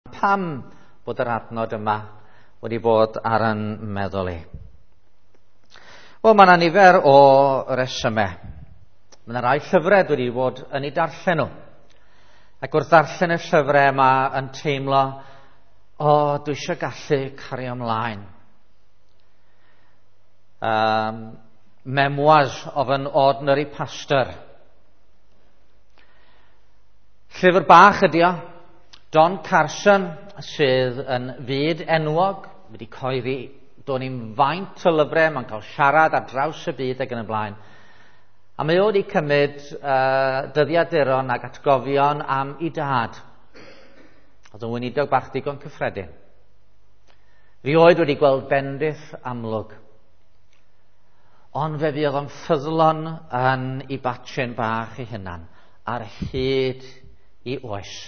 Pam bod yr adnod yma wedi bod ar yn meddwl i? Wel, mae yna nifer o resymau. Mae yna rai llyfrau dwi wedi bod yn ei darllen nhw. Ac wrth ddarllen y llyfrau yma yn teimlo, o, dwi eisiau gallu cario ymlaen. Memoirs of an Ordinary Pastor. Llyfr bach ydi o. Don Carson sydd yn fyd enwog, wedi coeddi do'n i'n faint o lyfrau, mae'n cael siarad ar draws y byd ac yn y blaen. A mae o wedi cymryd dyddiaduron ac atgofion am ei dad. Oedd yn weinidog bach digon cyffredin. Rioed wedi gweld bendith amlwg. Ond fe fuodd o'n ffyddlon yn ei batchen bach ei hunan ar hyd i oes.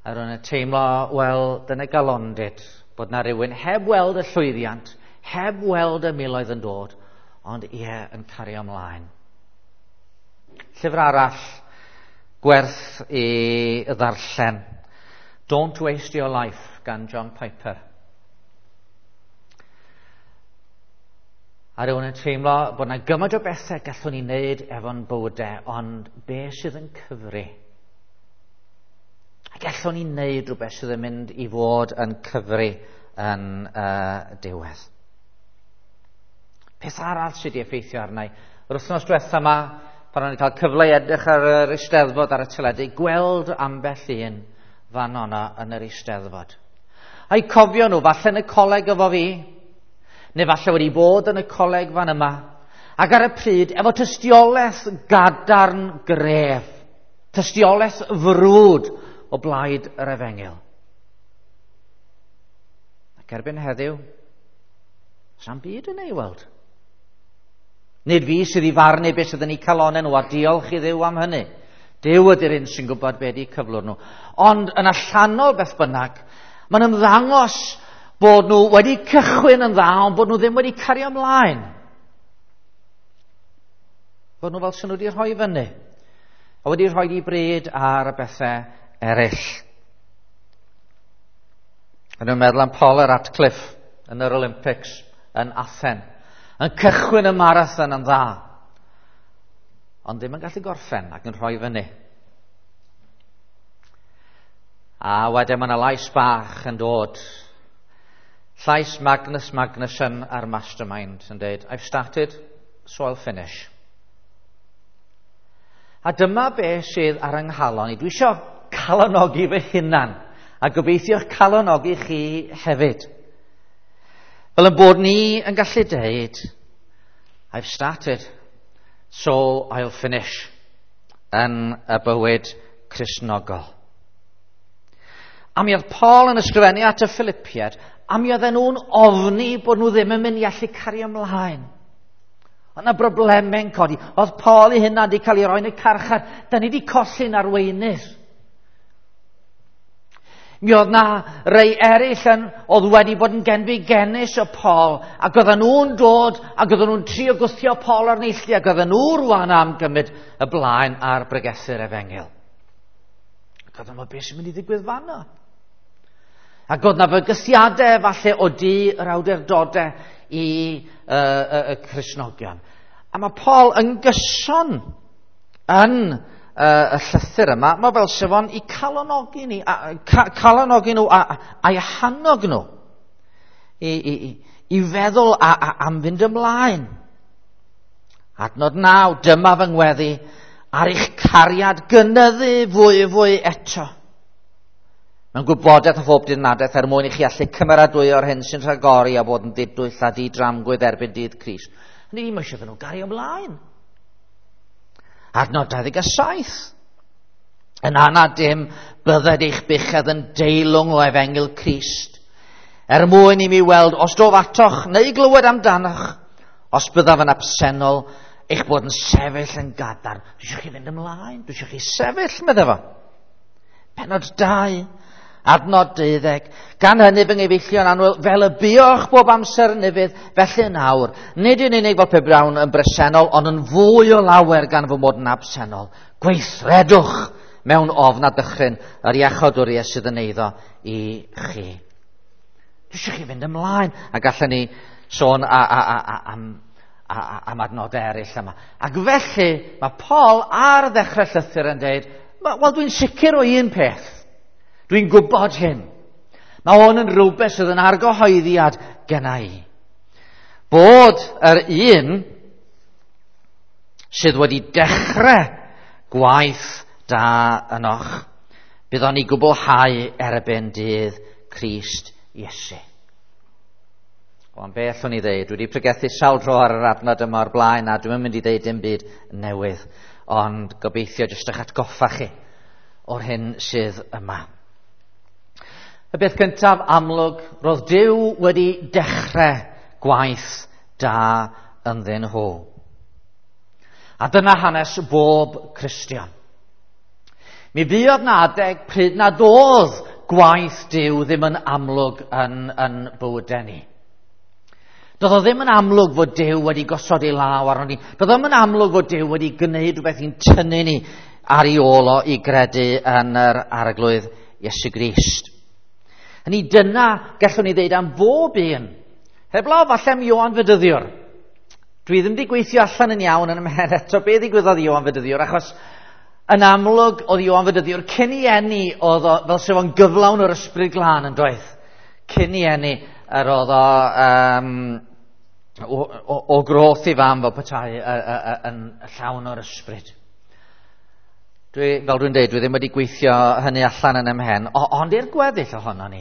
A ro'n teimlo, wel, dyna galondid, bod na rhywun heb weld y llwyddiant, heb weld y miloedd yn dod, ond ie, yn cario ymlaen. Llyfr arall, gwerth i ddarllen. Don't Waste Your Life gan John Piper. A rhywun yn teimlo bod na gymaint o bethau gallwn ni wneud efo'n bywydau, ond be sydd yn cyfri? A gallwn ni wneud rhywbeth sydd yn mynd i fod yn cyfri yn diwedd. Peth arall sydd wedi effeithio arna i. Yr wythnos diwetha yma, pan o'n i'n cael cyfle i edrych ar yr Eisteddfod ar y teledu, gweld ambell un fan o'na yn yr Eisteddfod. A'i cofio nhw, falle yn y coleg efo fi, neu falle wedi bod yn y coleg fan yma, ac ar y pryd, efo tystiolaeth gadarn gref, tystiolaeth frwd o blaid yr efengyl. Ac erbyn heddiw, sa'm byd yn ei weld. Nid fi sydd i farnu beth sydd yn eu calonau nhw, a diolch i Dduw am hynny. Duw ydy'r un sy'n gwybod beth ydy cyflwr nhw. Ond yn allanol beth bynnag, mae'n ymddangos bod nhw wedi cychwyn yn dda, ond bod nhw ddim wedi cario ymlaen. Bod nhw fel sy'n nhw wedi rhoi fyny, a wedi rhoi i bryd ar y bethau eraill. Yn nhw'n meddwl am Paul Radcliffe yn yr Olympics yn Athen, yn cychwyn y marathon yn dda, ond ddim yn gallu gorffen ac yn rhoi fyny. A wedyn mae yna lais bach yn dod. Llais Magnus Magnusson a'r Mastermind yn dweud, I've started, so I'll finish. A dyma be sydd ar yng nghalon i. Dwi eisiau calonogi fy hunan, a gobeithio'ch calonogi chi hefyd. Fel yn bod ni yn gallu deud, I've started, so I'll finish, yn y bywyd Cristnogol. A mi oedd Paul yn ysgrifennu at y Philippiaid, a mi oedden nhw'n ofni bod nhw ddim yn mynd i allu cario ymlaen. Oedd yna broblemau'n codi. Oedd Paul ei hunan wedi cael ei roi yn y carchar. Da ni wedi colli'n arweinydd. Mi oedd na rei eraill yn, oedd wedi bod yn genfigennus o Paul, ac oedden nhw'n dod, ac oedden nhw'n trio gwthio Paul ar neilltu, ac oedden nhw rwan am gymryd y blaen ar bregethu'r efengyl. Ac oedden nhw, beth sy'n mynd i ddigwydd fanno? Ac oedd na fygythiadau falle o du yr awdurdodau i y Cristnogion. A mae Paul yn gyson yn y llythyr yma, mae fel sef o'n i calonogi ni, calonogi nhw a'i hannog nhw i feddwl am fynd ymlaen. Adnod 9, dyma fy ngweddi ar eich cariad gynyddu fwy fwy eto. Mewn gwybodaeth a phob dirnadaeth er mwyn i chi allu cymeradwyo'r hyn sy'n rhagori a bod yn ddidwyll a didramgwydd erbyn dydd Crist. Hynny yw, mae eisiau nhw gario ymlaen. Adnod 27. Yn anad dim, bydded eich buchedd yn deilwng o efengyl Crist. Er mwyn i mi weld, os dof atoch neu glywed amdanoch, os byddaf yn absennol, eich bod yn sefyll yn gadarn. Dwi eisiau chi fynd ymlaen, dwi eisiau chi sefyll, medde fo. Pennod 2, adnod 12. Gan hynny fy nghyfeillion annwyl, fel y buoch bob amser yn ufudd, felly yn awr, nid yn unig fel pe bawn yn bresennol, ond yn fwy o lawer gan fy mod yn absennol. Gweithredwch mewn ofn a dychryn yr iachawdwriaeth sydd yn eiddo i chi. Dwi eisiau chi fynd ymlaen, a gallwn ni sôn am adnodau eraill yma. Ac felly, mae Paul ar ddechrau llythyr yn dweud, wel, dwi'n sicr o un peth. Dwi'n gwybod hyn. Mae hwn yn rhywbeth sydd yn argyhoeddiad genna i. Bod yr un sydd wedi dechrau gwaith da ynoch, bydd o'n ei gwblhau erbyn dydd Crist Iesu. Wel, be allwn i ddeud? Dwi wedi pregethu sawl tro ar yr adnod yma o'r blaen a dwi'm yn mynd i ddeud dim byd newydd, ond gobeithio jyst eich atgoffa chi o'r hyn sydd yma. Y beth cyntaf amlwg, roedd Duw wedi dechrau gwaith da ynddyn nhw. A dyna hanes bob Cristion. Mi fuodd na adeg pryd nad oedd gwaith Duw ddim yn amlwg yn bywydau ni. Doedd o ddim yn amlwg fod Duw wedi gosod ei law arnon ni. Doedd o ddim yn amlwg fod Duw wedi gwneud rhywbeth i'n tynnu ni ar ei ôl o i gredu yn yr Arglwydd Iesu Grist. Hynny dyna gallwn ni ddeud am bob un. Heblaw falle am Ioan Fedyddiwr. Dwi ddim wedi gweithio allan yn iawn yn ymhen eto be ddigwyddodd i Ioan Fedyddiwr, achos yn amlwg oedd Ioan Fedyddiwr cyn i eni oedd o, fel sef o'n gyflawn o'r Ysbryd Glân yn doedd. Cyn i eni yr oedd o, o groth i fam fel petai yn llawn o'r ysbryd. Dwi, fel dwi'n dweud, dwi ddim wedi gweithio hynny allan yn ymhen, ond i'r gweddill ohono ni.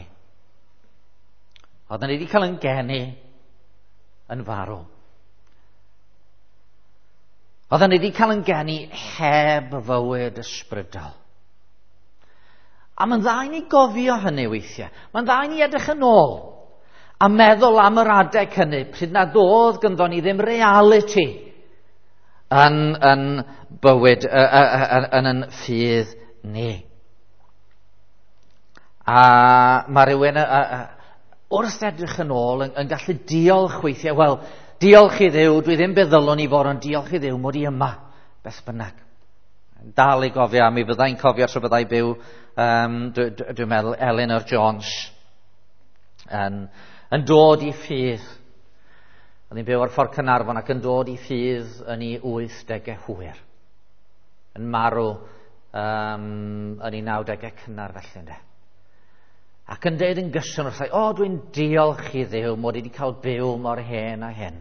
Oedden ni wedi cael yn geni yn farw. Oedden ni wedi cael yn geni heb fywyd ysbrydol. A mae'n dda i ni gofio hynny weithiau. Mae'n dda i ni edrych yn ôl a meddwl am yr adeg hynny, pryd nad oedd gynddo ni ddim reality yn bywyd, yn ffydd ni. A mae rhywun wrth edrych yn ôl yn gallu diolch weithiau. Wel, diolch i Dduw, dwi ddim be ddylwn i fod, ond diolch i Dduw mod i yma, beth bynnag. Dal i gofio, a mi fyddai'n cofio tro byddai byw, dwi'n meddwl, Eleanor Jones yn dod i ffydd. Oedd hi'n byw ar ffordd Caernarfon ac yn dod i ffydd yn ei 80au hwyr. Yn marw yn ei 90au cynnar felly, ynde. Ac yn deud yn gyson wrthai, o, dwi'n diolch i Dduw mod i wedi cael byw mor hen a hyn.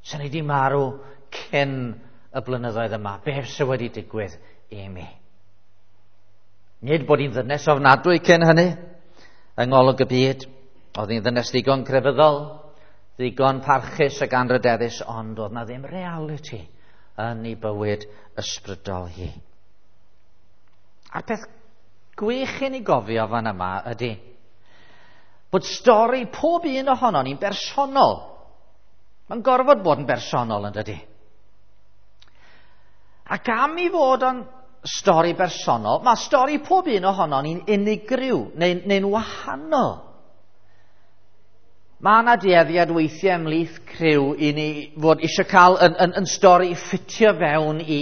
Sa'n i wedi marw cyn y blynyddoedd yma, beth sydd wedi digwydd i mi? Nid bod hi'n ddynes ofnadwy cyn hynny, yng ngolwg y byd. Oedd hi'n ddynes ddigon crefyddol, ddigon parchus ac anrydeddus, ond oedd na ddim reality yn ei bywyd ysbrydol hi. A'r peth gwych i ni gofio fan yma ydy bod stori pob un ohonon ni'n bersonol. Mae'n gorfod bod yn bersonol, yn dydy? Ac am i fod yn stori bersonol, mae stori pob un ohonon ni'n unigryw neu'n wahanol. Mae yna dueddiad weithiau ymhlith criw i ni fod eisiau cael yn stori ffitio fewn i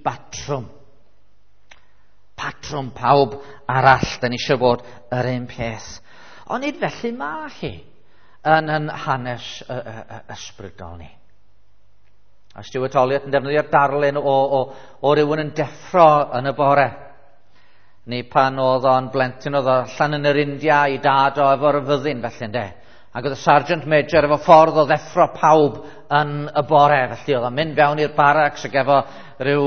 batrwm. Patrwm pawb arall, da ni eisiau bod yr un peth. Ond nid felly mae hi yn hanes ysbrydol ni. A Stuart Olyott yn defnyddio'r darlun o rywun yn deffro yn y bore. Neu pan oedd o'n blentyn, oedd o allan yn yr India i dad o efo'r fyddin felly, ynde. Ac oedd y Sergeant Major efo ffordd o ddeffro pawb yn y bore. Felly oedd o'n mynd fewn i'r barracks ac efo rhyw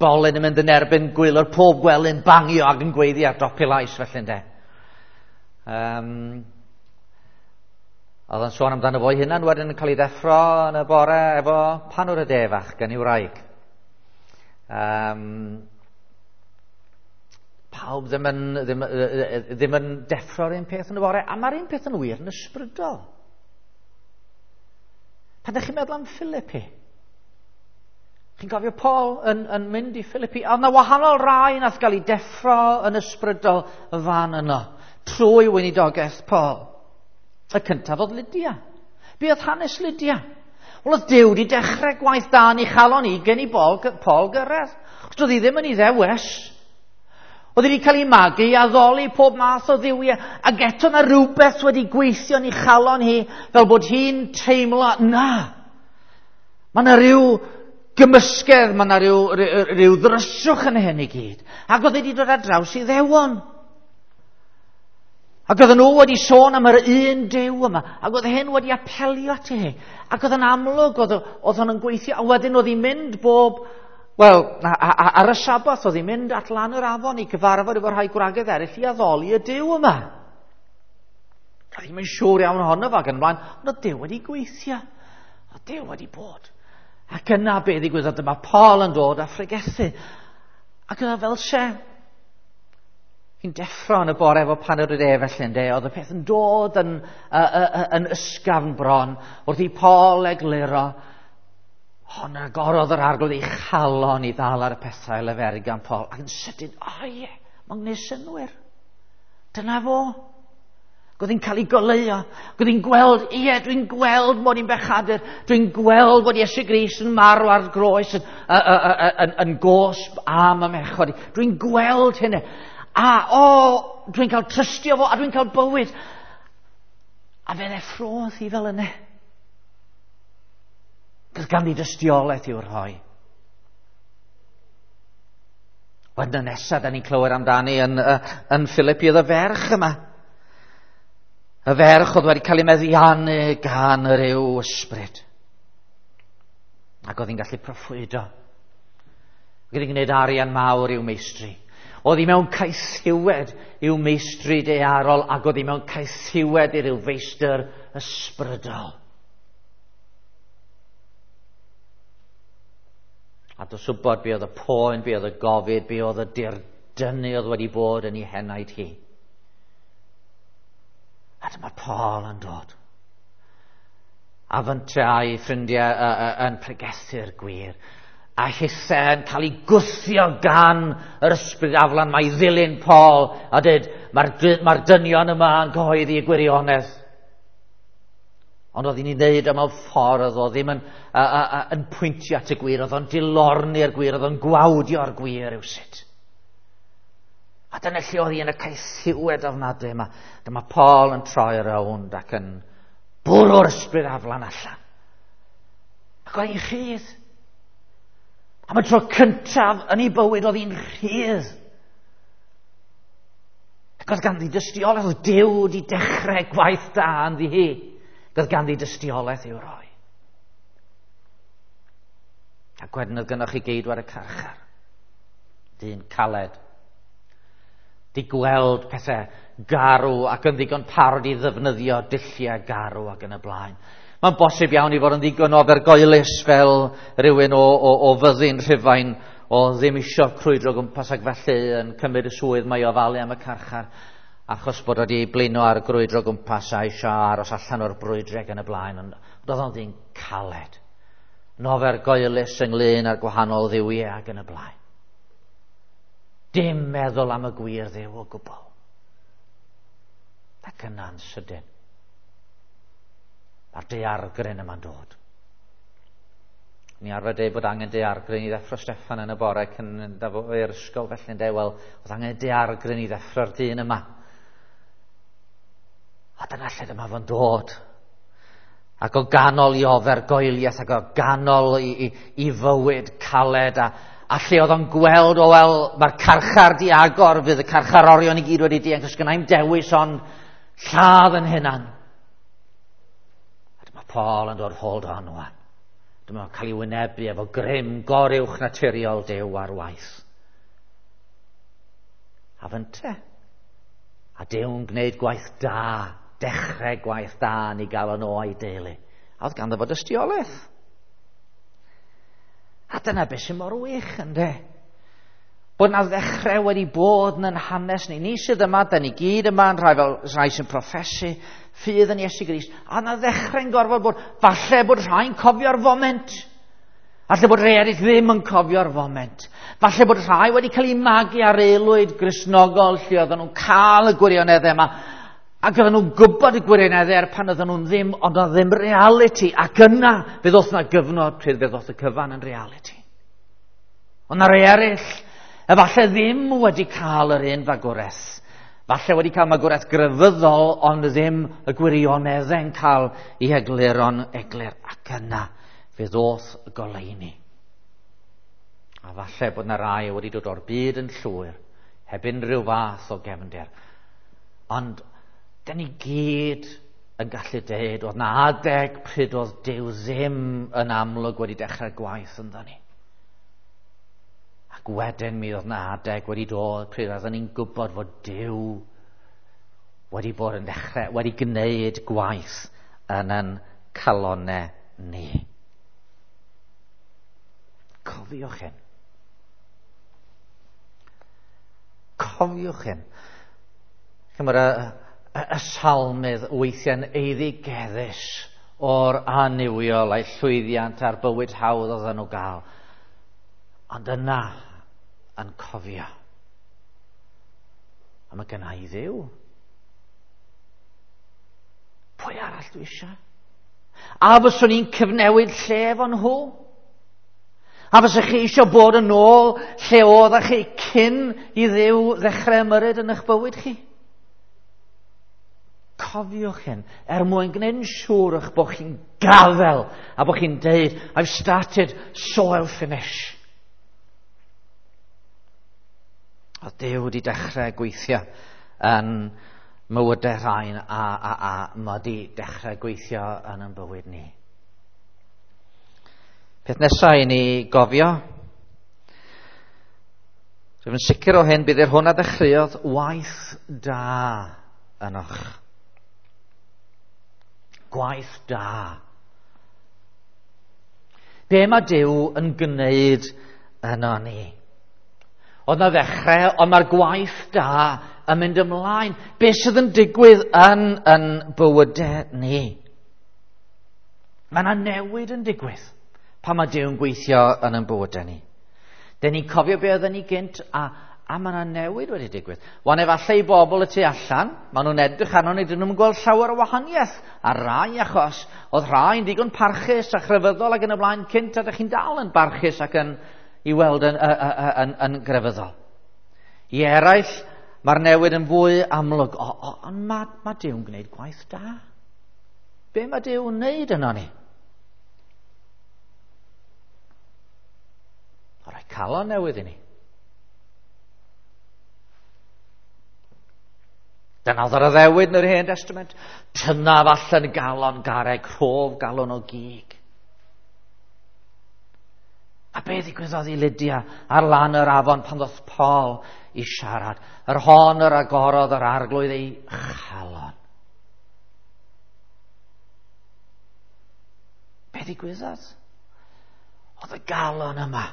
bolyn yn mynd yn erbyn gwaelod pob gwely'n bangio ac yn gweiddi ar dop ei lais felly, ynde. Oedd o'n sôn amdano fo'i hunan wedyn yn cael ei ddeffro yn y bore efo panwr y de fach gan ei wraig. Pawb ddim yn deffro'r un peth yn y bore, a mae'r un peth yn wir yn ysbrydol. Pan ydych chi'n meddwl am Philippi, chi'n cofio Paul yn mynd i Philippi, a oedd yna wahanol rai nath gael ei deffro yn ysbrydol y fan yno, trwy weinidogaeth Paul. Y cyntaf oedd Lydia. Be oedd hanes Lydia? Wel, oedd Duw wedi dechrau gwaith da yn ei chalon i gen i Paul gyrraedd. Ac doedd hi ddim yn Iddewes. Oedd hi wedi cael ei magu i addoli pob math o dduwiau, ac eto na rhywbeth wedi gweithio yn ei chalon hi, fel bod hi'n teimlo, na, mae yna rhyw gymysgedd, mae yna rhyw ddryswch yn hyn i gyd. Ac oedd hi wedi dod ar draws Iddewon. Ac oedden nhw wedi sôn am yr un Duw yma, ac oedd hyn wedi apelio ati hi. Ac oedd yn amlwg, oedd hwn yn gweithio, a wedyn oedd hi'n mynd bob, wel, ar y Sabath, oedd hi'n mynd at lan yr afon i gyfarfod efo rhai gwragedd eraill i addoli y Duw yma. Oedd hi'n siŵr iawn ohono fo ac yn ymlaen, ond oedd Duw wedi gweithio. Oedd Duw wedi bod. Ac yna be ddigwyddodd, dyma Paul yn dod a phregethu. Ac yna fel se, hi'n deffro yn y bore efo paned o de felly, ynde, oedd y peth yn dod yn ysgafn bron, wrth i Paul egluro, hon agorodd yr Arglwydd ei chalon i ddal ar y pethau leferu gan Paul, ac yn sydyn, o ie, mae'n gwneud synnwyr. Dyna fo. Ac oedd hi'n cael ei goleuo. Ac oedd hi'n gweld, ie, dwi'n gweld mod i'n bechadur. Dwi'n gweld bod Iesu Grist yn marw ar groes yn gosb am y mechod. Dwi'n gweld hynny. A, o, dwi'n cael trystio fo, a dwi'n cael bywyd. A fe ddeffrodd hi fel yna. Cos ganddi dystiolaeth i'w rhoi. Wedyn y nesaf, da ni'n clywed amdani yn Philippi, oedd y ferch yma. Y ferch oedd wedi cael ei meddiannu gan yr yw ysbryd. Ac oedd hi'n gallu proffwydo. Ac oedd hi'n gwneud arian mawr i'w meistri. Oedd hi mewn caethiwed i'w meistri daearol, ac oedd hi mewn caethiwed i ryw feistr ysbrydol. A dos wybod be oedd y poen, be oedd y gofid, be oedd y dirdynnu oedd wedi bod yn ei henaid hi. A dyma Paul yn dod. A fynte a'i ffrindiau yn pregethu'r gwir. A hithe yn cael ei gwthio gan yr ysbryd aflan mae i ddilyn Paul. A dweud, mae'r dynion yma yn cyhoeddi y gwirionedd. Ond oedd hi'n ei wneud o mewn ffordd, oedd o ddim yn pwyntio at y gwir, oedd o'n dilorni'r gwir, oedd o'n gwawdio'r gwir rywsut. A dyna lle oedd hi yn y caethiwed ofnadwy yma. Dyma Paul yn troi rownd ac yn bwrw'r ysbryd aflan allan. Ac oedd hi'n rhydd. Am y tro cyntaf yn ei bywyd oedd hi'n rhydd. Ac oedd ganddi dystiolaeth, oedd Duw wedi dechrau gwaith da ynddi hi. Ac oedd ganddi dystiolaeth i'w roi. Ac wedyn oedd gynnoch chi geidwad y carchar. Dyn caled. Di gweld pethau garw ac yn ddigon parod i ddefnyddio dulliau garw ac yn y blaen. Mae'n bosib iawn i fod yn ddigon ofergoelus fel rhywun o fyddin Rhufain o ddim isio crwydro gwmpas ac felly yn cymryd y swydd mae o ofalu am y carchar achos bod wedi blino ar grwydro gwmpas a eisiau aros allan o'r brwydre ac yn y blaen. Ond oedd o'n ddyn caled. Yn ofergoelus ynglyn â'r gwahanol dduwiau ac yn y blaen. Dim meddwl am y gwir Dduw o gwbl. Ac yna'n sydyn. Mae'r daeargryn yma'n dod. Ni arfer dweud bod angen daeargryn i ddeffro Steffan yn y bore cyn mynd i'r ysgol felly yn dweud, wel, oedd angen daeargryn i ddeffro'r dyn yma. A dyna lle dyma fo'n dod. Ac o ganol i ofergoeliaeth, ac o ganol i fywyd caled, a lle oedd o'n gweld, o wel, mae'r carchar di agor, fydd y carcharorion i gyd wedi dianc, os gynna i'm dewis ond lladd yn hunan. A dyma Paul yn dod, hold on wan. Dyma cael ei wynebu efo grym goruwch naturiol Duw ar waith. A fynte. A Duw'n gwneud gwaith da, dechrau gwaith da yn ei galon o a'i deulu. A oedd ganddo fo dystiolaeth. A dyna beth sy'n mor wych, ynde? Bod na ddechrau wedi bod yn hanes ni. Ni sydd yma, da ni gyd yma yn rhai fel rhai sy'n proffesu ffydd yn Iesu Grist. A na ddechrau'n gorfod bod, falle bod rhai'n cofio'r foment. Falle bod rhai eraill ddim yn cofio'r foment. Falle bod rhai wedi cael eu magu ar aelwyd Gristnogol lle oedden nhw'n cael y gwirioneddau yma. Ac oedden nhw'n gwybod y gwirioneddau er pan oedden nhw'n ddim, ond oedd ddim reality. Ac yna, fe ddoth na gyfnod pryd fe ddoth y cyfan yn reality. Ond na rei eraill, efallai ddim wedi cael yr un fagwraeth. Falle wedi cael magwraeth grefyddol, ond ddim y gwirioneddau'n cael ei egluro'n eglur. Ac yna, fe ddoth y goleuni. A falle bod yna rai wedi dod o'r byd yn llwyr, heb unrhyw fath o gefndir. Ond, dyn ni gyd yn gallu deud, oedd na adeg pryd oedd Duw ddim yn amlwg wedi dechrau gwaith ynddo ni. Ac wedyn mi oedd na adeg wedi dod pryd oedden ni'n gwybod fod Duw wedi bod yn dechrau, wedi gwneud gwaith yn yn calonau ni. Cofiwch hyn. Cofiwch hyn. Chymod, y salmydd weithiau'n eiddigeddus o'r annuwiol a'i llwyddiant a'r bywyd hawdd oedden nhw gael. Ond yna yn cofio. A mae gynna i Dduw. Pwy arall dwi eisiau? A fyswn i'n cyfnewid lle efo nhw? A fysech chi eisiau bod yn ôl lle oeddech chi cyn i Dduw ddechrau ymyrryd yn eich bywyd chi? Cofiwch hyn, er mwyn gwneud yn siŵr eich bod chi'n gafel a bod chi'n deud, I've started, so I'll finish. A Duw wedi dechrau gweithio yn mywydau rhain a mae wedi dechrau gweithio yn ein bywyd ni. Peth nesaf i ni gofio, rwyf yn sicr o hyn, bydd yr hwn a ddechreuodd waith da ynoch. Gwaith da. Be mae Duw yn gwneud yno ni? Oedd na ddechrau, ond mae'r gwaith da yn mynd ymlaen. Be sydd yn digwydd yn bywydau ni? Mae yna newid yn digwydd pan mae Duw'n gweithio yn ein bywydau ni. Dyn ni'n cofio be oedden ni gynt, a mae yna newid wedi digwydd. Wan efallai i bobl y tu allan, maen nhw'n edrych arno ni, dyn nhw'n gweld llawer o wahaniaeth. A rai achos, oedd rhai'n ddigon parchus a chrefyddol ac yn y blaen cynt, a dych chi'n dal yn barchus ac yn i weld yn grefyddol. I eraill, mae'r newid yn fwy amlwg. Ond mae Duw'n gwneud gwaith da. Be mae Duw'n wneud yno ni? O roi calon newydd i ni. Dyna oedd yr addewid yn yr Hen Testament. Tynaf allan galon garreg, rhof galon o gig. A be ddigwyddodd i Lydia ar lan yr afon pan ddoth Paul i siarad? Yr hon yr agorodd yr arglwydd ei chalon. Be ddigwyddodd? Oedd y galon yma.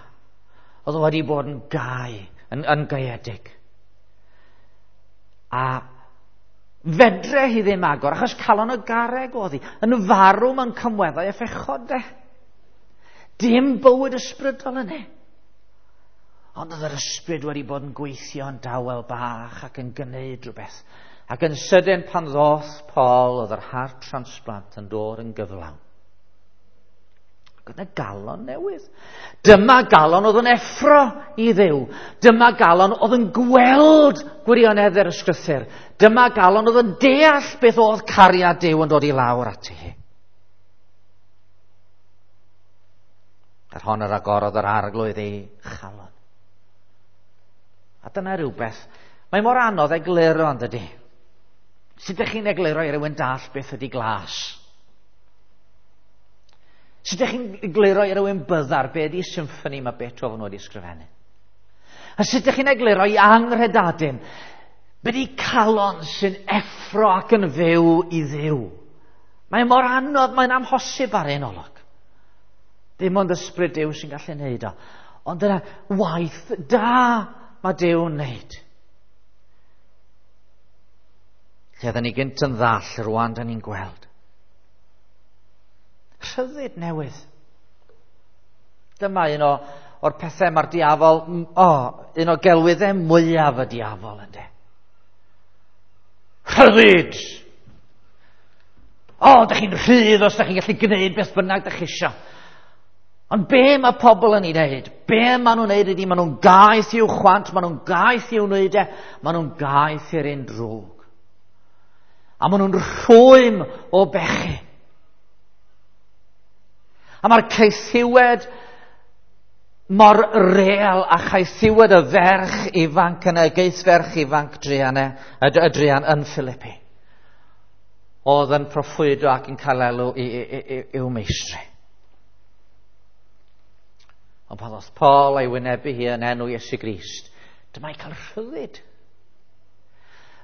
Oedd wedi bod yn gau, yn gaeedig. A fedre hi ddim agor, achos calon y garreg oedd hi. Yn farw mewn cymweddau a phechod de. Dim bywyd ysbrydol yna. Ond oedd yr ysbryd wedi bod yn gweithio yn dawel bach ac yn gwneud rhywbeth. Ac yn sydyn pan ddoth Paul, oedd yr heart transplant yn dod yn gyflawn. Ac oedd yna galon newydd. Dyma galon oedd yn effro i Dduw. Dyma galon oedd yn gweld gwirionedd yr ysgrythur. Dyma galon oedd yn deall beth oedd cariad Duw yn dod i lawr ati hi. Yr hon yr agorodd yr arglwydd ei chalon. A dyna rhywbeth. Mae mor anodd egluro, yn dydi? Sut ydych chi'n egluro i rywun dall beth ydy glas? Sut ydych chi'n egluro i rywun byddar be ydy symffoni mae Beethoven wedi ysgrifennu? A sut ydych chi'n egluro i anghredadun be ydy calon sy'n effro ac yn fyw i Dduw? Mae mor anodd, mae'n amhosib ar un olwg. Dim ond ysbryd Duw sy'n gallu neud o. Ond dyna waith da mae Duw'n neud. Lle oedden ni gynt yn ddall, rwan da ni'n gweld. Rhyddid newydd. Dyma un o'r pethau mae'r diafol, un o gelwyddau mwyaf y diafol ynde. Rhyddid! O, dych chi'n rhydd os dych chi'n gallu gwneud beth bynnag dych chi isio. Ond be mae pobl yn ei wneud? Be maen nhw'n wneud ydy maen nhw'n gaeth i'w chwant, maen nhw'n gaeth i'w wneud e, maen nhw'n gaeth i'r un drwg. A maen nhw'n rhwym o bechu. A mae'r caethiwed mor real a chaethiwed y ferch ifanc yn y geithferch ifanc druan, y druan yn Philippi. Oedd yn proffwydo ac yn cael elw i'w meistri. Ond pan ddoth Paul a'i wynebu hi yn enw Iesu Grist, dyma i cael rhyddid.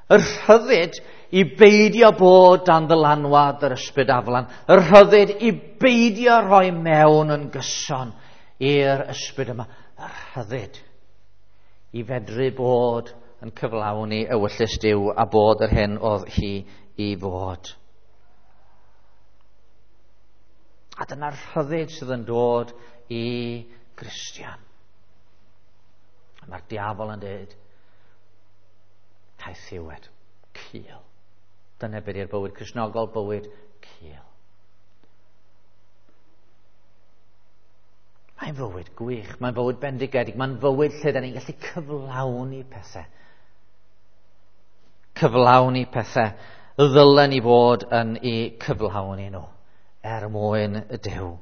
Y rhyddid i beidio bod dan ddylanwad yr ysbryd aflan. Y rhyddid i beidio rhoi mewn yn gyson i'r ysbryd yma. Y rhyddid i fedru bod yn cyflawni ewyllys Duw a bod yr hyn oedd hi i fod. A dyna'r rhyddid sydd yn dod i Gristion. Mae'r diafol yn dweud, caethiwed, cul. Dyna beth yw'r bywyd Cristnogol, bywyd cul. Mae'n fywyd gwych, mae'n fywyd bendigedig, mae'n fywyd lle da ni'n gallu cyflawni pethau. Cyflawni pethau ddylen ni fod yn ei cyflawni nhw er mwyn y Duw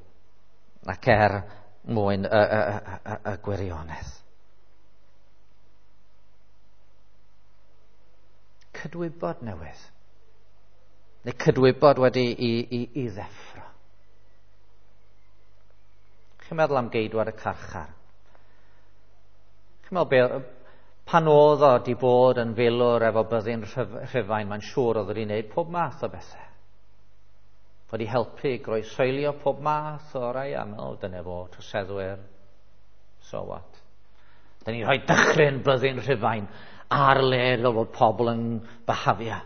ac er mwyn y gwirionedd. Cydwybod newydd. Neu cydwybod wedi i ddeffro. Chi'n meddwl am geidwad y carchar? Chi'n meddwl pan oedd o di bod yn filwr efo byddin Rhufain, mae'n siŵr oedd wedi gwneud pob math o bethau. Wedi helpu groesoelio pob math o rai, a meddwl, dyna fo, troseddwyr, so what? Da ni'n rhoi dychryn byddin Rhufain ar le fel bod pobl yn byhafio.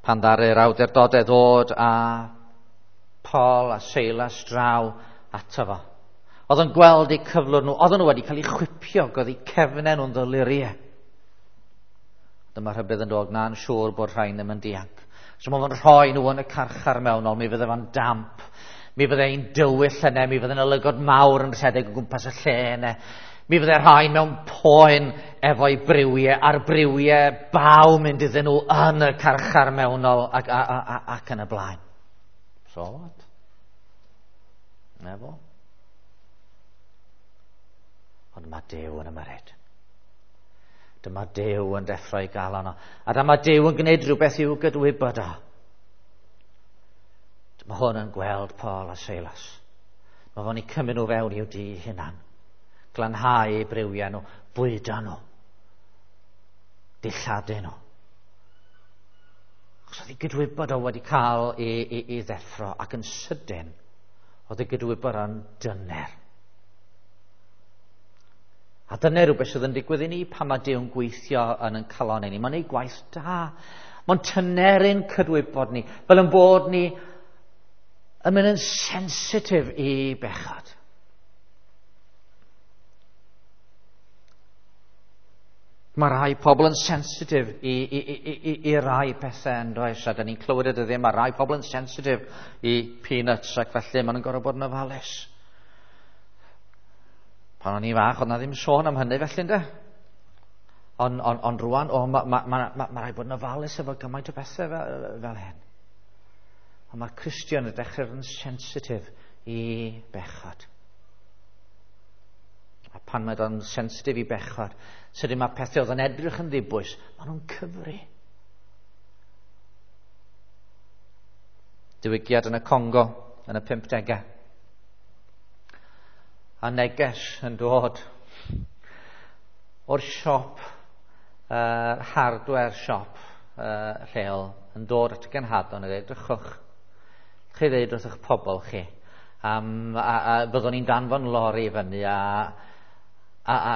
Pan ddaru'r awdurdodau ddod a Paul a Silas draw ato fo. Oedd yn gweld eu cyflwr nhw, oedden nhw wedi cael eu chwipio, oedd eu cefnau nhw'n ddoluriau. Dyma rhybudd yn dod, na'n siŵr bod rhain ddim yn dianc. So mae fo'n rhoi nhw yn y carchar mewnol, mi fydde fo'n damp, mi fydde ein dywyll yna, mi fydde'n olygod mawr yn rhedeg o gwmpas y lle yna. Mi fydde rhain mewn poen efo'i briwiau, a'r briwiau baw mynd iddyn nhw yn y carchar mewnol ac, ac yn y blaen. So what? Na fo. Ond mae Duw yn ymyrryd. Dyma Duw yn deffro i galon o. A dyma Duw yn gwneud rhywbeth i'w gydwybod o. Dyma hwn yn gweld Paul a Silas. Mae fo'n eu cymryd nhw fewn i'w dŷ hunan. Glanhau eu briwiau nhw, bwydo nhw, dilladu nhw. Achos oedd ei gydwybod o wedi cael ei ddeffro, ac yn sydyn oedd ei gydwybod o'n dyner. A dyna rhywbeth sydd yn digwydd i ni pan mae Duw'n gweithio yn ein calon ni. Mae'n ei gwaith da. Mae'n tyneru'n cydwybod ni, fel yn bod ni yn mynd yn sensitif i bechod. Mae rhai pobl yn sensitif i rai pethau yn does, a da ni'n clywed y dyddiau, mae rhai pobl yn sensitif i peanuts ac felly maen nhw'n gorfod bod yn ofalus. Pan o'n i fach, oedd na ddim sôn am hynny felly, ynde? Ond rwan, mae rhaid bod yn ofalus efo gymaint o bethau fel hyn. Ond mae'r Cristion yn dechrau yn sensitif i bechod. A pan mae o'n sensitif i bechod, sydyn mae pethau oedd yn edrych yn ddibwys, maen nhw'n cyfri. Diwygiad yn y Congo yn y 50au. A neges yn dod o'r siop, hardware siop lleol, yn dod at y genhadon a dweud, drychwch, chi ddeud wrth eich pobl chi, a byddwn ni'n danfon lori fyny a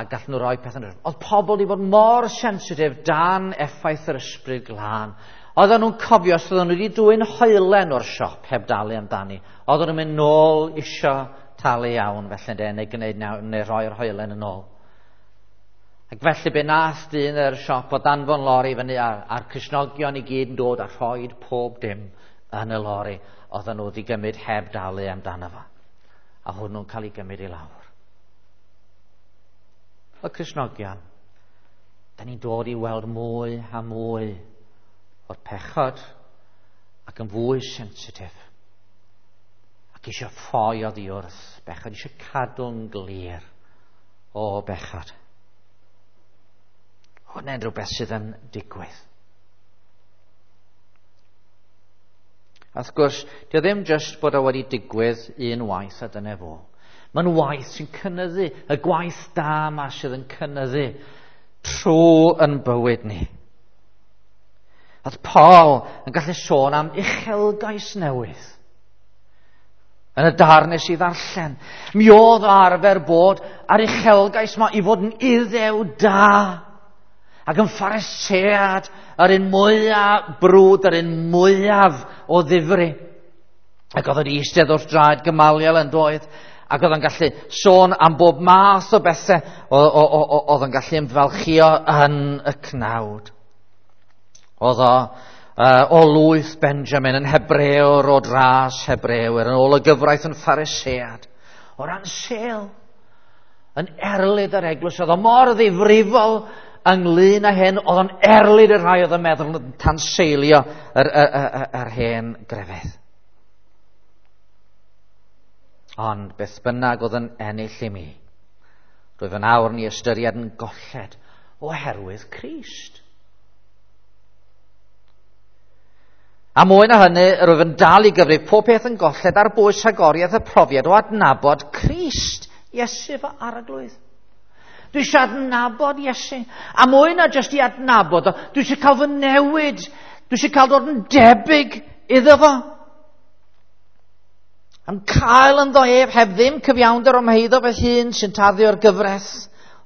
gallen nhw roi pethau. Oedd pobl wedi bod mor sensitif dan effaith yr ysbryd glân. Oedden nhw'n cofio os oedden nhw wedi dwyn hoelen o'r siop heb dalu amdani. Oedden nhw'n mynd nôl isio talu iawn felly, de, neu gwneud neu rhoi'r hoelen yn ôl. Ac felly be nath dyn yr siop o danfon lori fyny a'r Cristnogion i gyd yn dod a rhoid pob dim yn y lori oedden nhw wedi gymryd heb dalu amdano fo. A hwnnw'n cael ei gymryd i lawr. Y Cristnogion, da ni'n dod i weld mwy a mwy o'r pechod ac yn fwy sensitif. Ac eisiau ffoi oddi wrth bechod, eisiau cadw'n glir o bechod. Hwna'n rhywbeth sydd yn digwydd. A wrth gwrs, dio ddim jyst bod o wedi digwydd un waith a dyna fo. Mae'n waith sy'n cynyddu, y gwaith da yma sydd yn cynyddu trwy yn bywyd ni. Oedd Paul yn gallu sôn am uchelgais newydd. Yn y darn nes i ddarllen, mi oedd o arfer bod ar uchelgais yma i fod yn iddew da ac yn Pharisead yr un mwyaf brwd, yr un mwyaf o ddifri. Ac oedd o'n eistedd wrth draed Gamaliel yn doedd, ac oedd o'n gallu sôn am bob math o bethau oedd o'n gallu ymfalchio yn y cnawd. Oedd o o lwyth Benjamin yn Hebrewr o dras Hebrewyr, yn ôl y gyfraith yn Pharisead. O ran sel, yn erlid yr eglwys, oedd o mor ddifrifol ynglyn â hyn, oedd o'n erlid y rhai oedd yn meddwl yn tanseilio yr hen grefydd. Ond beth bynnag oedd yn ennill i mi, rwyf yn awr ni ystyried yn golled oherwydd Crist. A mwy na hynny, rwyf yn dal i gyfrif pob peth yn golled ar bwys rhagoriaeth y profiad o adnabod Crist, Iesu fy arglwydd. Dwi eisiau adnabod Iesu. A mwy na jyst i adnabod o, dwi eisiau cael fy newid. Dwi eisiau cael dod yn debyg iddo fo. Am cael ynddo ef heb ddim cyfiawnder o'm heiddo fy hun sy'n tarddu o'r gyfraith,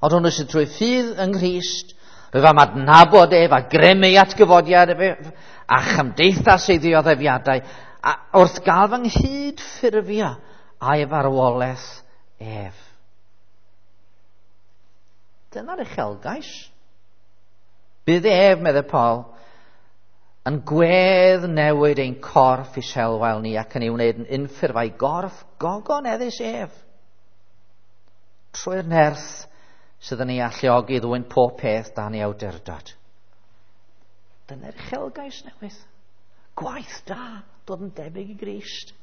ond hwnnw sy'n trwy ffydd yng Nghrist. Rwyf am adnabod ef a grym ei atgyfodiad ef a chymdeithas ei ddioddefiadau, a wrth gael fy nghyd ffurfio a'i farwolaeth ef. Dyna'r uchelgais. Bydd ef, meddai Paul, yn gwedd newid ein corff i selwael ni ac yn ei wneud yn unffurf a'i gorff gogoneddus ef. Trwy'r nerth sydd yn ei alluogi i ddwyn pob peth dan ei awdurdod. Dyna'r uchelgais newydd. Gwaith da, dod yn debyg i Grist.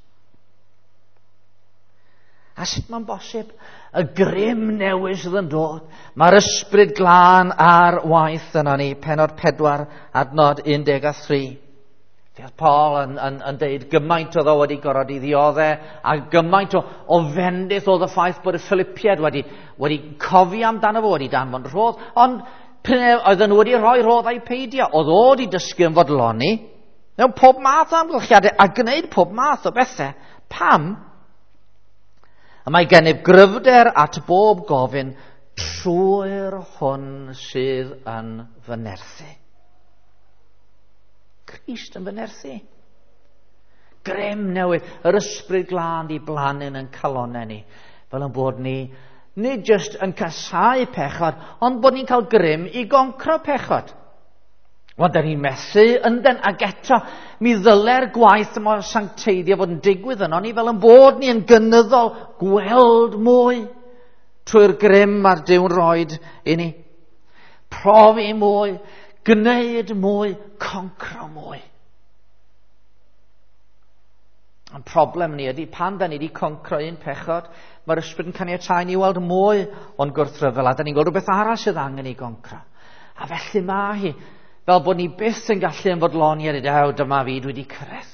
A sut mae'n bosib? Y grym newydd sydd yn dod. Mae'r ysbryd glân ar waith yno ni. Pennod 4, adnod 13. Fe oedd Paul yn deud gymaint oedd o wedi gorfod i ddioddau, a gymaint o fendith oedd y ffaith bod y Philippiaid wedi cofio amdano fo, wedi danfon rhodd, ond pryn oedden nhw wedi rhoi rhodd a'i peidio. Oedd o wedi dysgu yn fodloni mewn pob math o amgylchiadau a gwneud pob math o bethau. Pam? A mae gennyf gryfder at bob gofyn trwy'r hwn sydd yn fy nerthu. Crist yn fy nerthu. Grym newydd, yr ysbryd glân di blannu'n yn calonnau ni, fel yn bod ni nid jyst yn casáu pechod, ond bod ni'n cael grym i goncro pechod. Wel, da ni'n methu yndyn, ac eto, mi ddyle'r gwaith yma o sancteiddio fod yn digwydd yno ni, fel yn bod ni yn gynyddol gweld mwy trwy'r grym a'r Duw'n roed i ni. Profi mwy, gwneud mwy, concro mwy. Ond problem ni ydy, pan da ni wedi concro un pechod, mae'r ysbryd yn caniatáu ni weld mwy o'n gwrthryfel, a da ni'n gweld rhywbeth arall sydd angen ei goncro. A felly mae hi, fel bod ni byth yn gallu ymfodloni ar ew, dyma fi, dwi wedi cyrraedd.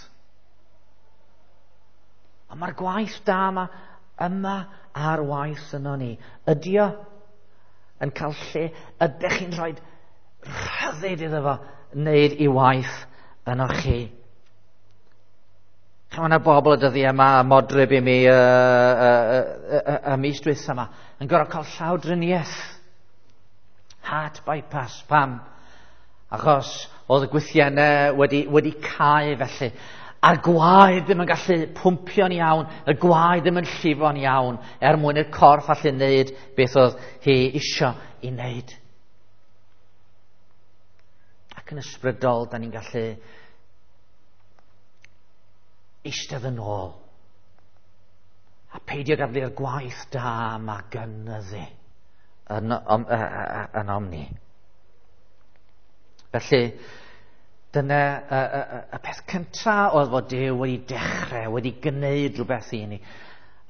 Ond mae'r gwaith da yma ar waith yno ni. Ydy o yn cael lle, ydych chi'n rhoi rhyddid iddo fo wneud i waith yno chi. Mae yna bobl y dyddiau yma, a modryb i mi y mis dwytha yma, yn gorfod cael llawdriniaeth. Heart bypass, pam? Achos oedd y gwythiennau wedi cau felly. A'r gwaed ddim yn gallu pwmpio'n iawn, y gwaed ddim yn llifo'n iawn, er mwyn i'r corff allu wneud beth oedd hi isio i wneud. Ac yn ysbrydol, da ni'n gallu Eistedd yn ôl. A peidio gadael i'r gwaith da yma gynyddu yn, om, yn omni. Felly, dyna y, y, y peth cyntaf oedd fod Duw wedi dechrau, wedi gwneud rhywbeth i ni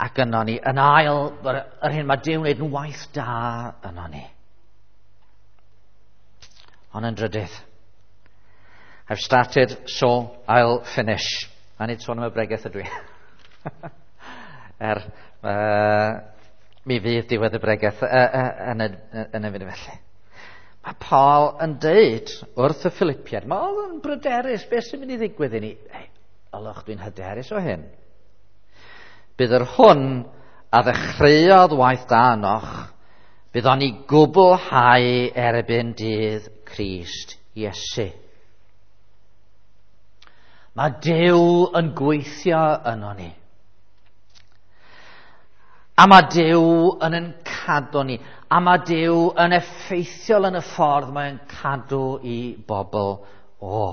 ac yno ni. Yn ail, yr hyn mae Duw yn gwneud yn waith da yno ni. Ond yn drydydd, I've started, so I'll finish. A nid sôn am y bregeth ydw i. Mi fydd diwedd y bregeth yn y, yn y funud felly. Mae Paul yn deud wrth y Philippiaid, mae oedd yn bryderus, beth sy'n mynd i ddigwydd i ni? Ei, olwch, dwi'n hyderus o hyn. Bydd yr hwn a ddechreuodd waith da ynoch, bydd o'n i gwblhau erbyn dydd Crist Iesu. Mae Duw yn gweithio yno ni. A mae Duw yn yn cadw ni. A mae Duw yn effeithiol yn y ffordd mae'n cadw i bobl o.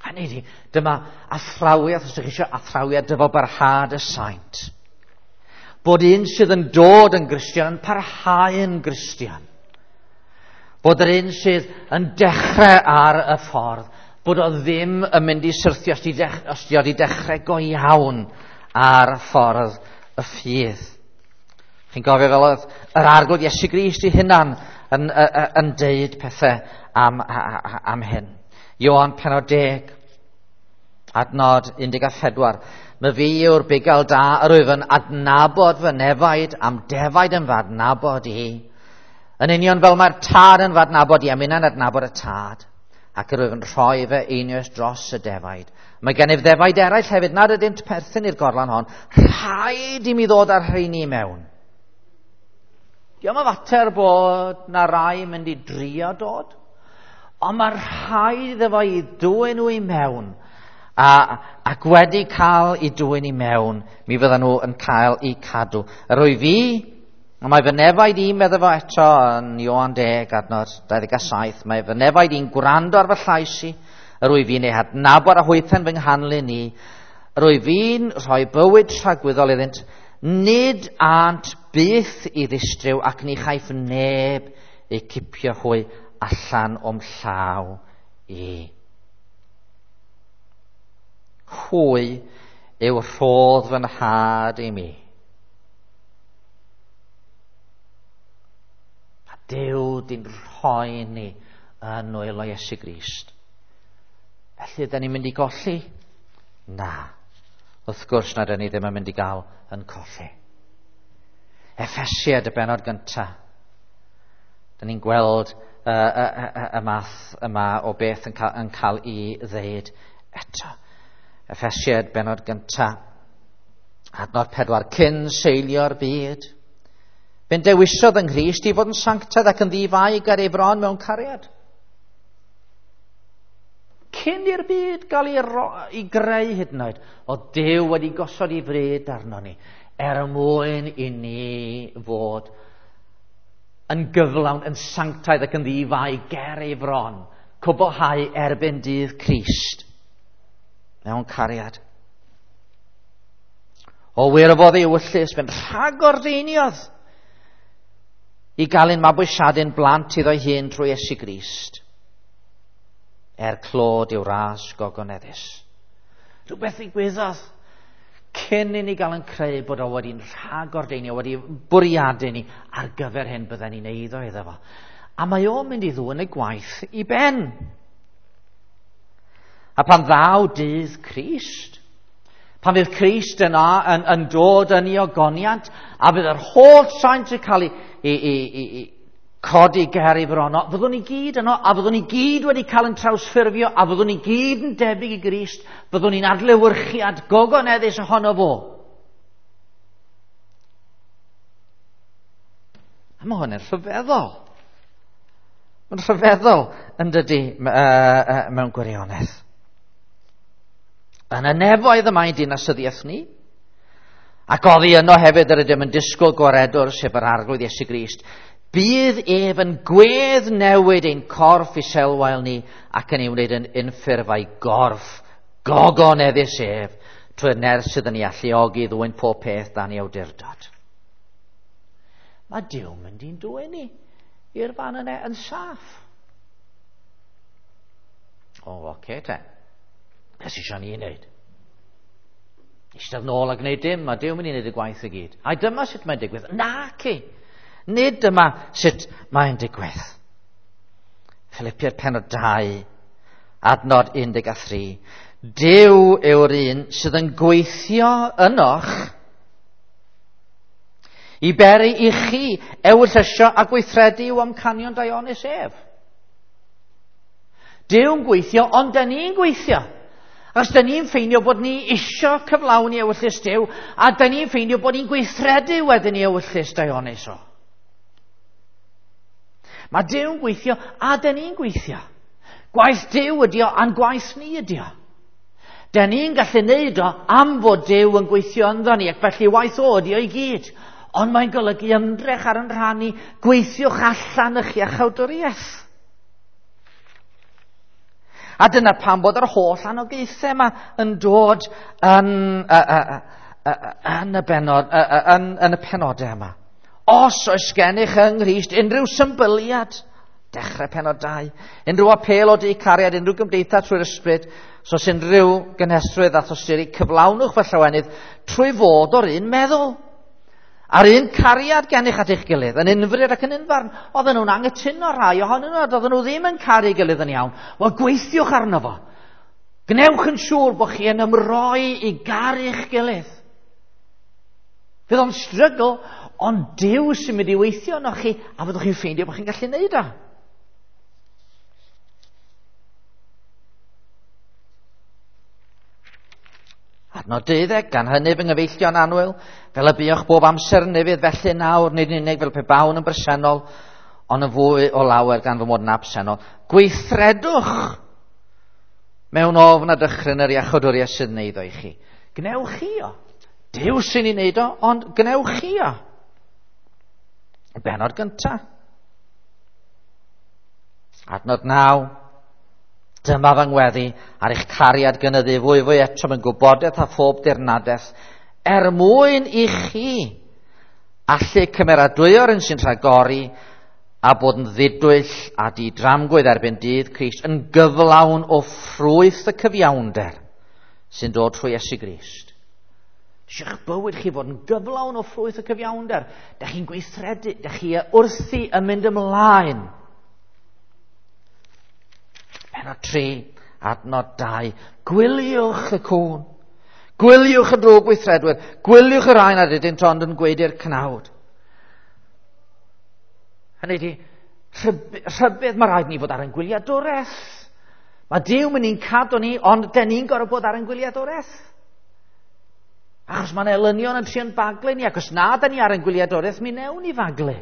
Hynny ydi, dyma athrawiaeth, os ydych chi eisiau athrawiaeth dyfalbarhad y saint. Bod un sydd yn dod yn Gristion yn parhau yn Gristion. Bod yr un sydd yn dechrau ar y ffordd, bod o ddim yn mynd i syrthio os di, dech, os di o di dechrau go iawn ar ffordd y ffydd. Chi'n gofio fel oedd yr Arglwydd Iesu Grist ei hunan yn, yn, yn deud pethau am, am hyn. Ioan penod 10, adnod 14. Mae fi yw'r bugail da, yr wyf yn adnabod fy nefaid, am defaid yn fy adnabod i. Yn union fel mae'r tad yn fy adnabod i, a minnau'n adnabod y tad, ac yr wyf yn rhoi fy einioes dros y defaid. Mae gennyf ddefaid eraill hefyd nad ydynt perthyn i'r gorlan hon. Rhaid i mi ddod â'r rheini i mewn. Diolch yn fater bod na rai mynd i drio dod, ond mae rhaid iddo fo i dwyn nhw i mewn. A, ac wedi cael i dwyn i mewn, mi fyddan nhw yn cael eu cadw. Yr wyf fi A mae fy nefaid i'n meddwl fo eto yn Ioan 10, adnod 27, mae fy nefaid i'n gwrando ar fy llais i, yr wyf fi'n ei hadnabod a hwythau'n fy nghanlyn i, yr wyf fi'n rhoi bywyd tragwyddol iddynt, nid ânt byth i ddistryw ac ni chaiff neb eu cipio hwy allan o'm llaw i. Hwy yw rhodd fy nhad i mi. A Duw di'n rhoi ni yn nwylo Iesu Grist. Felly, da ni'n mynd i golli? Na. Wrth gwrs na da ni ddim yn mynd i gael yn colli. Effesiad y benod gyntaf. Da ni'n gweld y, y, y, y math yma o beth yn cael, yn cael ei ddeud eto. Effesiad benod gyntaf. Adnod 4. Cyn seilio'r byd. Fe'n dewisodd yng Nghrist i fod yn sanctaidd ac yn ddi-fai ger ei fron mewn cariad. Cyn i'r byd gael ei, ro, ei greu hyd yn oed, o Duw wedi gosod ei fryd arno ni, er mwyn i ni fod yn gyflawn, yn sanctaidd ac yn ddi-fai ger ei fron, cwblhau erbyn dydd Crist mewn cariad. O wirfodd ei ewyllys, fe'n rhagordeiniodd i gael ein mabwysiadu'n blant iddo'i hun trwy Iesu Grist, er clod i'w ras gogoneddus. Rhywbeth ddigwyddodd cyn i ni gael yn creu bod o wedi'n rhagordeinio, wedi bwriadu ni ar gyfer hyn bydden ni'n eiddo iddo fo. A mae o'n mynd i ddwyn y gwaith i ben. A pan ddaw dydd Crist, pan fydd Crist yna yn, yn dod yn ei ogoniant, a fydd yr holl saint yn cael ei, ei, ei, ei, ei codi ger ei fron, fyddwn ni gyd yno, a fyddwn ni gyd wedi cael yn trawsffurfio, a fyddwn ni gyd yn debyg i Grist, fyddwn ni'n adlewyrchiad gogoneddus ohono fo. A mae hwn yn rhyfeddol. Mae'n rhyfeddol yn dydy mewn gwirionedd. Yn y nefoedd y mae dinasyddiaeth ni, ac oddi yno hefyd yr ydym yn disgwyl gwaredwr, sef yr Arglwydd Iesu Grist. Bydd ef yn gwedd newid ein corff iselwael ni ac yn ei wneud yn unffurf a'i gorff gogoneddus ef trwy'r nerth sydd yn ei alluogi i ddwyn pob peth dan ei awdurdod. Mae Duw mynd i'n dwyn ni i'r fan yna yn saff. O, oce okay, te. Beth sy'n eisiau ni wneud? Eistedd nôl a gwneud dim, mae Duw mynd i wneud y gwaith i gyd. A dyma sut mae'n digwydd. Naci! Nid dyma sut mae'n digwydd. Philippiaid pennod 2, adnod 13. Duw yw'r un sydd yn gweithio ynoch i beri i chi ewyllysio a gweithredu i'w amcanion daionus ef. Duw'n gweithio, ond da ni'n gweithio. Os da ni'n ffeindio bod ni isio cyflawni ewyllys Duw, a da ni'n ffeindio bod ni'n gweithredu wedyn i ewyllys daionus o. Mae Duw'n gweithio, a da ni'n gweithio. Gwaith Duw ydi o, a'n gwaith ni ydi o. Da ni'n gallu neud o am fod Duw yn gweithio ynddo ni, ac felly waith o ydi o i gyd. Ond mae'n golygu ymdrech ar yn rhan ni, gweithiwch allan eich iachawdwriaeth. A dyna pam bod yr holl anogaethau yma yn dod yn, yn, y, benod, yn, yn y penodau yma. Os oes gennych yng Nghrist unrhyw symbyliad, dechrau penod 2, unrhyw apêl o du cariad, unrhyw gymdeithas trwy'r ysbryd, so os unrhyw gynhesrwydd a thosturi, cyflawnwch fy llawenydd trwy fod o'r un meddwl. A'r un cariad gennych at eich gilydd, yn unfryd ac yn unfarn. Oedden nhw'n anghytuno rhai ohonyn nhw, oedden nhw ddim yn caru gilydd yn iawn. Wel, gweithiwch arno fo. Gwnewch yn siŵr bod chi yn ymroi i garu'ch gilydd. Fydd o'n strygl, ond Duw sy'n mynd i weithio arnoch chi, a fyddwch chi'n ffeindio bod chi'n gallu neud o. Adnod 12, gan hynny fy nghyfeillion annwyl, fel y buoch bob amser yn ufudd, felly nawr, nid yn unig fel pe bawn yn bresennol, ond yn fwy o lawer gan fy mod yn absennol. Gweithredwch mewn ofn a dychryn yr iachawdwriaeth sydd yn eiddo i chi. Gwnewch chi o. Duw sy'n ei wneud o, ond gwnewch chi o. Y bennod gyntaf. Adnod 9. Dyma fy ngweddi ar eich cariad gynyddu fwy fwy eto mewn gwybodaeth a phob dirnadaeth, er mwyn i chi allu cymeradwyo'r un sy'n rhagori a bod yn ddidwyll a didramgwydd erbyn dydd Crist yn gyflawn o ffrwyth y cyfiawnder sy'n dod trwy Iesu Grist. Eisiau'ch bywyd chi fod yn gyflawn o ffrwyth y cyfiawnder. Da chi'n gweithredu, da chi wrthi yn mynd ymlaen. Pennod 3, adnod 2. Gwyliwch y cŵn. Gwyliwch y drwg gweithredwyr. Gwyliwch y rhai nad ydynt ond yn gwaedu'r cnawd. Hynny ydi, rhybudd, mae rhaid ni fod ar ein gwyliadwraeth. Mae Duw mynd i'n cadw ni, ond den ni'n gorfod bod ar ein gwyliadwraeth. Achos mae'n elynion yn trio'n baglu ni, ac os na da ni ar ein gwyliadwraeth, mi newn ni faglu.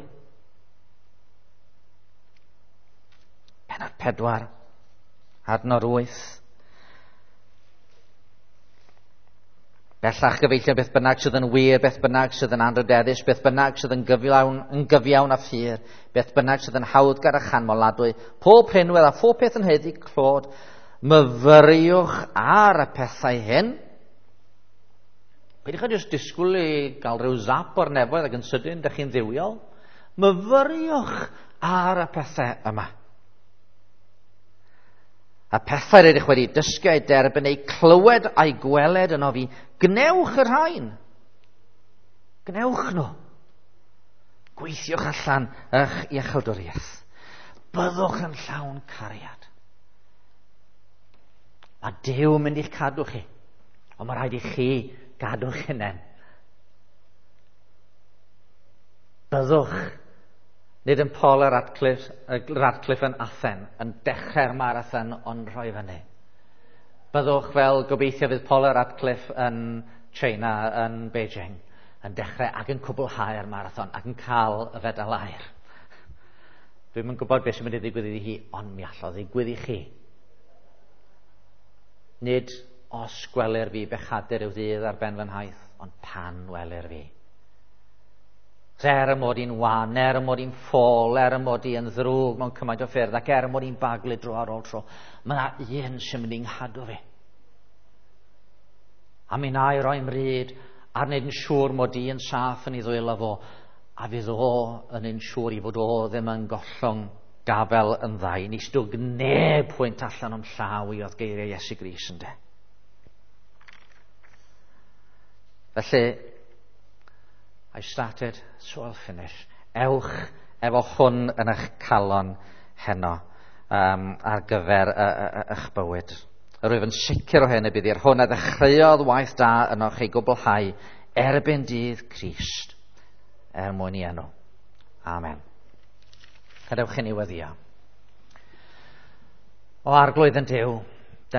Pennod 4, adnod 8. Bellach gyfeillion, beth bynnag sydd yn wir, beth bynnag sydd yn anrhydeddus, beth bynnag sydd yn gyfiawn, yn gyfiawn a phur, beth bynnag sydd yn hawddgar a chanmoladwy, pob rhinwedd a phob peth yn haeddu clod, myfyriwch ar y pethau hyn. Peidiwch â jyst disgwyl i gael rhyw zap o'r nefoedd ac yn sydyn, dych chi'n dduwiol. Myfyriwch ar y pethau yma. A pethau rydych wedi dysgu a'u derbyn, eu clywed a'u gweled yno fi, gwnewch y rhain. Gwnewch nhw. Gweithiwch allan eich iachawdwriaeth. Byddwch yn llawn cariad. Mae Duw yn mynd i'ch cadw chi, ond mae rhaid i chi gadw'ch hunain. Byddwch nid yn Paul a Radcliffe, Radcliffe yn Athen, yn dechrau'r marathon ond rhoi fyny. Byddwch fel gobeithio fydd Paul a Radcliffe yn China, yn Beijing, yn dechrau ac yn cwblhau'r marathon ac yn cael y fedal aur. Dwi'm yn gwybod beth sy'n mynd i ddigwydd iddi hi, ond mi allodd ddigwydd i chi. Nid os gwelir fi bechadur yw ddydd ar ben fy nhaith, ond pan welir fi. Er y mod i'n wan, er y mod i'n ffôl, er y mod i yn ddrwg mewn cymaint o ffyrdd, ac er y mod i'n baglu dro ar ôl tro, mae yna un sy'n mynd i'n nghadw fi. A mi na i roi mryd ar wneud yn siŵr mod i yn saff yn ei ddwylo fo, a fydd o yn un siŵr i fod o ddim yn gollwng gafel yn ddau. Nis dwg neb pwynt allan o'm llaw i oedd geiriau Iesu Grist ynde. Felly, I started, so I'll finish. Ewch efo hwn yn eich calon heno ar gyfer eich bywyd. Yr wyf yn sicr o hyn y bydd i'r hwn a ddechreuodd waith da ynoch ei gwblhau erbyn dydd Crist er mwyn i enw. Amen. Gadewch i ni weddio. O Arglwydd yn Duw,